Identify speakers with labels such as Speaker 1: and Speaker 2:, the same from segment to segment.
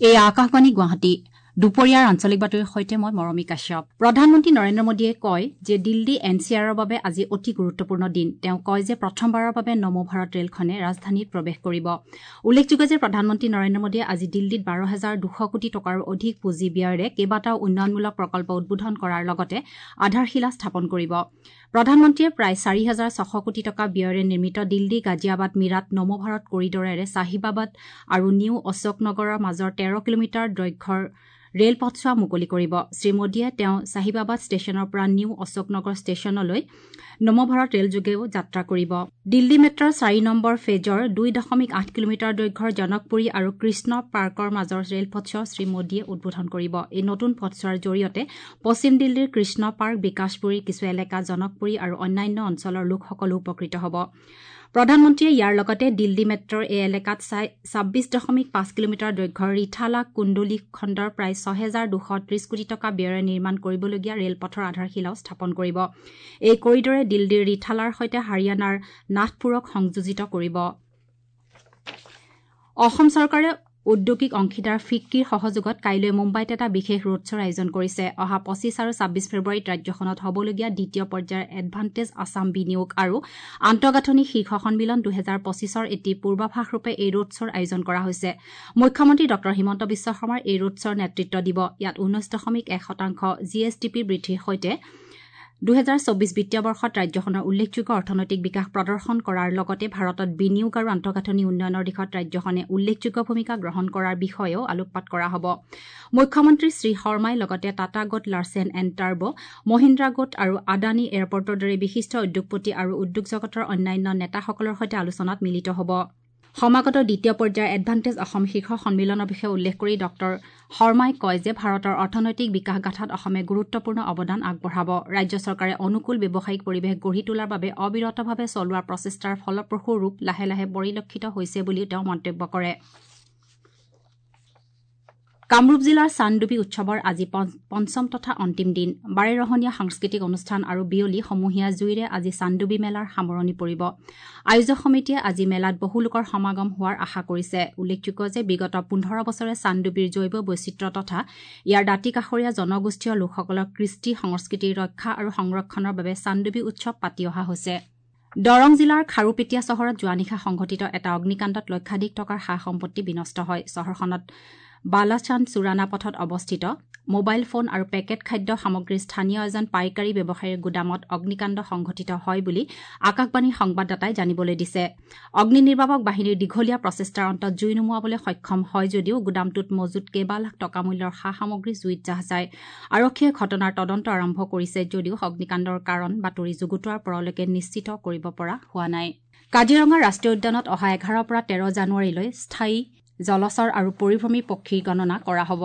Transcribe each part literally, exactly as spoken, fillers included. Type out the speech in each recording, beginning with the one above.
Speaker 1: এই আকাশবাণী গুৱাহাটী দুপৰীয়াৰ আঞ্চলিক বাতৰিৰ সৈতে মই মৰমী কাশ্যপ। প্ৰধানমন্ত্ৰী নৰেন্দ্ৰ মোদীয়ে কয় যে দিল্লী এন চি আৰৰ বাবে আজি অতি গুৰুত্বপূৰ্ণ দিন। তেওঁ কয় যে প্ৰথমবাৰৰ বাবে নমো ভাৰত ৰেলখনে ৰাজধানীত প্ৰৱেশ কৰিব। উল্লেখযোগ্য যে প্ৰধানমন্ত্ৰী নৰেন্দ্ৰ মোদীয়ে আজি দিল্লীত বাৰ হাজাৰ দুশ কোটি টকাৰো অধিক পুঁজি ব্যয়েৰে কেইবাটাও উন্নয়নমূলক প্ৰকল্প উদ্বোধন কৰাৰ লগতে আধাৰশিলা স্থাপন কৰিব। প্ৰধানমন্ত্ৰীয়ে প্ৰায় চাৰি হাজাৰ ছশ কোটি টকা ব্যয়েৰে নিৰ্মিত দিল্লী গাজিয়াবাদ মীৰাট নমো ভাৰত কৰিডৰেৰে চাহিবাবাদ আৰু নিউ অশোকনগৰৰ মাজৰ তেৰ কিলোমিটাৰ দৈৰ্ঘ্যৰ ৰেল পথছোৱা মুকলি কৰিব। শ্ৰীমোদীয়ে তেওঁ চাহিবাবাদ ষ্টেচনৰ পৰা নিউ অশোকনগৰ ষ্টেচনলৈ নমো ভাৰত ৰেলযোগেও যাত্ৰা কৰিব। দিল্লী মেট্ৰৰ চাৰি নম্বৰ ফেজৰ দুই দশমিক আঠ কিলোমিটাৰ দৈৰ্ঘ্যৰ জনকপুৰী আৰু কৃষ্ণ পাৰ্কৰ মাজৰ ৰেলপথছোৱাও শ্ৰীমোদীয়ে উদ্বোধন কৰিব। এই নতুন পথছোৱাৰ জৰিয়তে পশ্চিম দিল্লীৰ কৃষ্ণ পাৰ্ক, বিকাশপুৰীৰ কিছু এলেকা, জনকপুৰী আৰু অন্যান্য অঞ্চলৰ লোকসকলো উপকৃত হ'ব। প্ৰধানমন্ত্ৰীয়ে ইয়াৰ লগতে দিল্লী মেট্ৰৰ এই এলেকাত ছাব্বিছ দশমিক পাঁচ কিলোমিটাৰ দৈৰ্ঘ্যৰ ৰিথালা কুণ্ডলী খণ্ডৰ প্ৰায় ছহেজাৰ দুশ ত্ৰিশ কোটি টকা ব্যয়েৰে নিৰ্মাণ কৰিবলগীয়া ৰেলপথৰ আধাৰশিলাও স্থাপন কৰিব। এই কৰিডৰে দিল্লীৰ ৰিথালাৰ সৈতে হাৰিয়ানাৰ নাথপুৰক সংযোজিত কৰিব। অসম চৰকাৰে ঔদ্যোগিক অংশীদাৰ ফিক্কিৰ সহযোগত কাইলৈ মুম্বাইত এটা বিশেষ ৰোড শ্ব'ৰ আয়োজন কৰিছে। অহা পঁচিছ আৰু ছাব্বিছ ফেব্ৰুৱাৰীত ৰাজ্যখনত হ'বলগীয়া দ্বিতীয় পৰ্যায়ৰ এডভান্টেজ আছাম বিনিয়োগ আৰু আন্তঃগাঁথনি শীৰ্ষ সন্মিলন দুহেজাৰ পঁচিছৰ এটি পূৰ্বাভাসৰূপে এই ৰোড শ্ব'ৰ আয়োজন কৰা হৈছে। মুখ্যমন্ত্ৰী ডঃ হিমন্ত বিশ্ব শৰ্মাই এই ৰোড শ্ব'ৰ নেতৃত্ব দিব। ইয়াত ঊনৈশ দশমিক এক শতাংশ জি এছ ডি পি বৃদ্ধিৰ সৈতে দুহেজাৰ চৌবিছ বিত্তীয় বৰ্ষত ৰাজ্যখনৰ উল্লেখযোগ্য অৰ্থনৈতিক বিকাশ প্ৰদৰ্শন কৰাৰ লগতে ভাৰতত বিনিয়োগ আৰু আন্তঃগাঁথনি উন্নয়নৰ দিশত ৰাজ্যখনে উল্লেখযোগ্য ভূমিকা গ্ৰহণ কৰাৰ বিষয়েও আলোকপাত কৰা হ'ব। মুখ্যমন্ত্ৰী শ্ৰী শৰ্মাই লগতে টাটা গোট, লাৰ্চেন এণ্ড টাৰ্ব, মহিন্দ্ৰা গোট আৰু আদানী এয়াৰপৰ্টৰ দৰে বিশিষ্ট উদ্যোগপতি আৰু উদ্যোগ জগতৰ অন্যান্য নেতাসকলৰ সৈতে আলোচনাত মিলিত হ'ব। সমাগত দ্বিতীয় পৰ্যায়ৰ এডভান্টেজ অসম শীৰ্ষ সন্মিলনৰ বিষয়ে উল্লেখ কৰি ডঃ শৰ্মাই কয় যে ভাৰতৰ অৰ্থনৈতিক বিকাশ গাঁথাত অসমে গুৰুত্বপূৰ্ণ অৱদান আগবঢ়াব। ৰাজ্য চৰকাৰে অনুকূল ব্যৱসায়িক পৰিৱেশ গঢ়ি তোলাৰ বাবে অবিৰতভাৱে চলোৱা প্ৰচেষ্টাৰ ফলপ্ৰসূ ৰূপ লাহে লাহে পৰিলক্ষিত হৈছে বুলিও তেওঁ মন্তব্য কৰে। কামৰূপ জিলাৰ চানডুবি উৎসৱৰ আজি পঞ্চম তথা অন্তিম দিন। বাৰেৰহণীয়া সাংস্কৃতিক অনুষ্ঠান আৰু বিয়লি সমূহীয়া জুইৰে আজি চানডুবি মেলাৰ সামৰণি পৰিব। আয়োজক সমিতিয়ে আজি মেলাত বহু লোকৰ সমাগম হোৱাৰ আশা কৰিছে। উল্লেখযোগ্য যে বিগত পোন্ধৰ বছৰে চানডুবিৰ জৈৱ বৈচিত্ৰ্য তথা ইয়াৰ দাঁতিকাষৰীয়া জনগোষ্ঠীয় লোকসকলৰ কৃষ্টি সংস্কৃতিৰ ৰক্ষা আৰু সংৰক্ষণৰ বাবে চানডুবি উৎসৱ পাতি অহা হৈছে। দৰং জিলাৰ খাৰুপেটীয়া চহৰত যোৱা নিশা সংঘটিত এটা অগ্নিকাণ্ডত লক্ষাধিক টকাৰ সা সম্পত্তি বিনষ্ট হয়। চহৰখনত বালাচান্দ চুৰানা পথত অৱস্থিত মোবাইল ফোন আৰু পেকেট খাদ্য সামগ্ৰীৰ স্থানীয় এজন পাইকাৰী ব্যৱসায়ীৰ গুদামত অগ্নিকাণ্ড সংঘটিত হয় বুলি আকাশবাণীৰ সংবাদদাতাই জানিবলৈ দিছে। অগ্নি নিৰ্বাপক বাহিনীৰ দীঘলীয়া প্ৰচেষ্টাৰ অন্তত জুই নুমুৱাবলৈ সক্ষম হয় যদিও গুদামটোত মজুত কেইবা লাখ টকা মূল্যৰ সা সামগ্ৰী জুইত জাহ যায়। আৰক্ষীয়ে ঘটনাৰ তদন্ত আৰম্ভ কৰিছে যদিও অগ্নিকাণ্ডৰ কাৰণ বাতৰি যুগুতোৱাৰ পৰলৈকে নিশ্চিত কৰিব পৰা হোৱা নাই। কাজিৰঙা ৰাষ্ট্ৰীয় উদ্যানত অহা এঘাৰৰ পৰা তেৰ জানুৱাৰীলৈ স্থায়ী জলচৰ আৰু পৰিভ্ৰমী পক্ষীৰ গণনা কৰা হ'ব।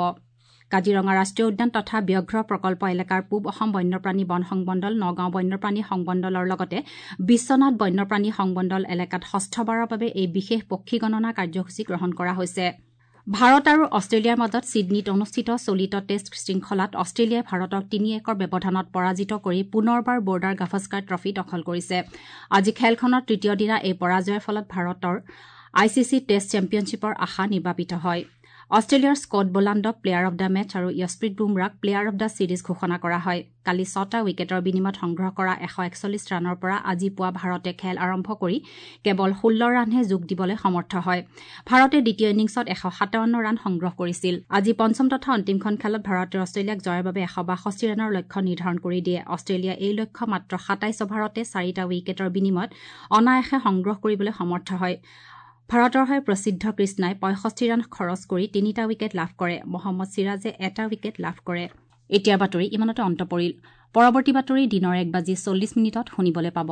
Speaker 1: কাজিৰঙা ৰাষ্ট্ৰীয় উদ্যান তথা ব্যাঘ্ৰ প্ৰকল্প এলেকাৰ পূব অসম বন্যপ্ৰাণী বন সংমণ্ডল, নগাঁও বন্যপ্ৰাণী সংমণ্ডলৰ লগতে বিশ্বনাথ বন্যপ্ৰাণী সংমণ্ডল এলেকাত ষষ্ঠবাৰৰ বাবে এই বিশেষ পক্ষী গণনা কাৰ্যসূচী গ্ৰহণ কৰা হৈছে। ভাৰত আৰু অষ্ট্ৰেলিয়াৰ মাজত ছিডনীত অনুষ্ঠিত চলিত টেষ্ট শৃংখলাত অষ্ট্ৰেলিয়াই ভাৰতক তিনি একৰ ব্যৱধানত পৰাজিত কৰি পুনৰবাৰ বৰ্ডাৰ গাভাস্কাৰ ট্ৰফী দখল কৰিছে। আজি খেলখনৰ তৃতীয় দিনা এই পৰাজয়ৰ ফলত ভাৰতৰ I C C test চেম্পিয়নশ্বিপৰ আশা নিৰ্বাপিত হয়। অষ্ট্ৰেলিয়াৰ স্কট বোলাণ্ডক প্লেয়াৰ অব the match আৰু য়শপ্ৰীত বুমৰাক প্লেয়াৰ অব the series ঘোষণা কৰা হয়। কালি ছটা উইকেটৰ বিনিময়ত সংগ্ৰহ কৰা এশ একচল্লিছ ৰানৰ পৰা আজি পুৱা ভাৰতে খেল আৰম্ভ কৰি কেৱল ষোল্ল ৰানহে যোগ দিবলৈ সমৰ্থ হয়। ভাৰতে দ্বিতীয় ইনিংছত এশ সাতাৱন্ন ৰান সংগ্ৰহ কৰিছিল। আজি পঞ্চম তথা অন্তিমখন খেলত ভাৰতে অষ্ট্ৰেলিয়াক জয়ৰ বাবে এশ বাষষ্ঠি ৰানৰ লক্ষ্য নিৰ্ধাৰণ কৰি দিয়ে। অষ্ট্ৰেলিয়াই এই লক্ষ্য মাত্ৰ সাতাইছ অভাৰতে চাৰিটা উইকেটৰ বিনিময়ত অনায়াসে সংগ্ৰহ কৰিবলৈ সমৰ্থ হয়। ভাৰতৰ হৈ প্ৰসিদ্ধ কৃষ্ণাই পঁয়ষষ্ঠি ৰান খৰচ কৰি তিনিটা উইকেট লাভ কৰে। মহম্মদ চিৰাজে এটা উইকেট লাভ কৰে। এতিয়াৰ বাতৰি ইমানতে অন্ত পৰিল। পৰৱৰ্তী বাতৰি দিনৰ এক বাজি চল্লিছ মিনিটত শুনিবলৈ পাব।